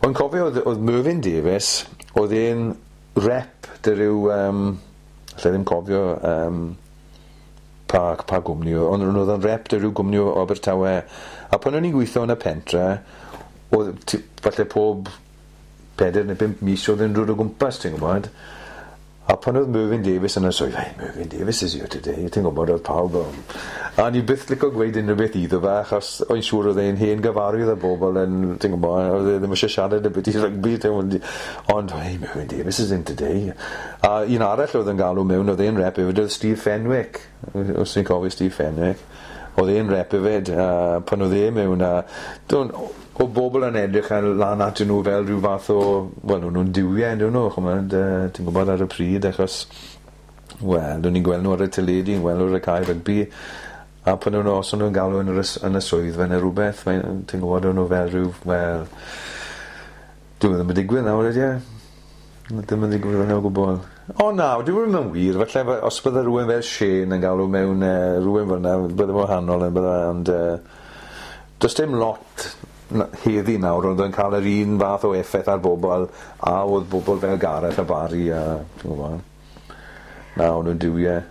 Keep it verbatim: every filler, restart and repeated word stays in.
Ond cofio oedd, oedd Mervyn Davies, oedd e'n rep 'da ryw, um, allai ddim cofio um, pa, pa gwmni, ond oedd o'n rep 'da ryw gwmni o Abertawe. A pan o'n i'n gweithio yn y pentre, oedd falle pob pedair neu bump mis oedd e'n dod o gwmpas, ti'n gwybod. A pan oedd Mervyn Davies yn y swyddfa, "Hey, Mervyn Davies is here today," ti'n gwybod, oedd pawb o. A ni byth licio gweud unrhyw beth iddo fe, achos o'n siŵr oedd e'n hen gyfarwydd â bobl yn, ti'n gwybod, oedd e ddim eisiau siarad ambiti rygbi, ti'n ond, "Hey, Mervyn Davies is in today." A un arall oedd yn galw mewn, oedd e'n rep hefyd, oedd Steve Fenwick, os ti'n cofio Steve Fenwick. Oedd e'n rep hefyd, a pan oedd e mewn, a don, o bobl yn edrych ar lan atyn nhw fel rhyw fath o, wel, o'n nhw'n duwiau, on'd nhw, ch'mod, uh, ti'n gwybod ar y pryd, achos, wel, o'n i'n gweld nhw ar y teledu, yn gweld nhw ar y cae rygbi, a pan o'n nhw, os o'n nhw'n galw yn yr, yn y swyddfa neu rhywbeth, ti'n gwybod, o'n nhw fel rhyw, wel, dyw e ddim yn digwydd nawr, ydy e? Ddim yn digwydd yn o gwbl. O na, dyw e ddim yn wir, falle os bydde rhywun fel Shane yn galw mewn uh, rhywun fel yna, bydde wahanol yn bydde, ond uh, does dim lot heddi nawr ond yn cael yr un fath o effaith ar bobl a oedd bobl fel Gareth a Barry a ti'n gwybod. Na, o'n nhw'n duwiau.